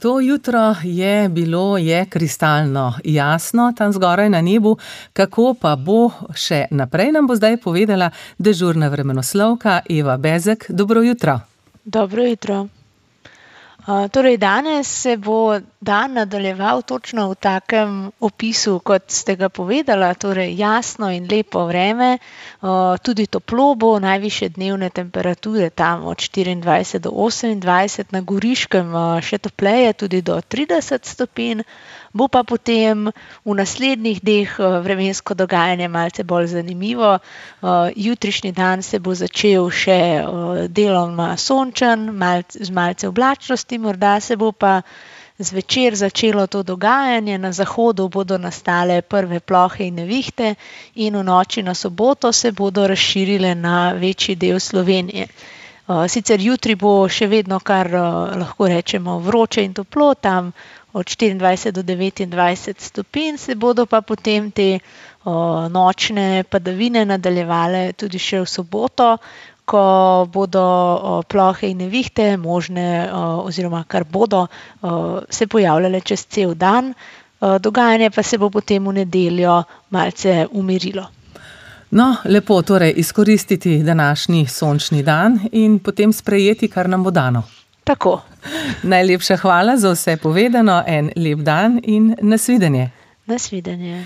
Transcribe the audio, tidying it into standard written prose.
To jutro je kristalno jasno tam zgoraj na nebu, kako pa bo še naprej, nam bo zdaj povedala dežurna vremenoslovka Eva Bezek. Dobro jutro. Dobro jutro. Danes se bo dan nadaljeval točno v takem opisu, kot ste ga povedala, torej jasno in lepo vreme, tudi toplo bo, najvišje dnevne temperature tam od 24 do 28, na Goriškem še topleje, tudi do 30 stopinj, bo pa potem v naslednjih dneh vremensko dogajanje malce bolj zanimivo. Jutrišnji dan se bo začel še deloma sončen, z malce oblačnosti, morda se bo pa zvečer začelo to dogajanje, na zahodu bodo nastale prve plohe in nevihte in v noči na soboto se bodo razširile na večji del Slovenije. Sicer jutri bo še vedno kar lahko rečemo vroče in toplo, tam od 24 do 29 stopinj, se bodo pa potem te nočne padavine nadaljevale tudi še v soboto, ko bodo plohe in nevihte možne oziroma kar bodo se pojavljale čez cel dan, dogajanje pa se bo potem v nedeljo malce umirilo. No, lepo, torej izkoristiti današnji sončni dan in potem sprejeti, kar nam bo dano. Tako. Najlepša hvala za vse povedano, en lep dan in nasvidenje. Nasvidenje.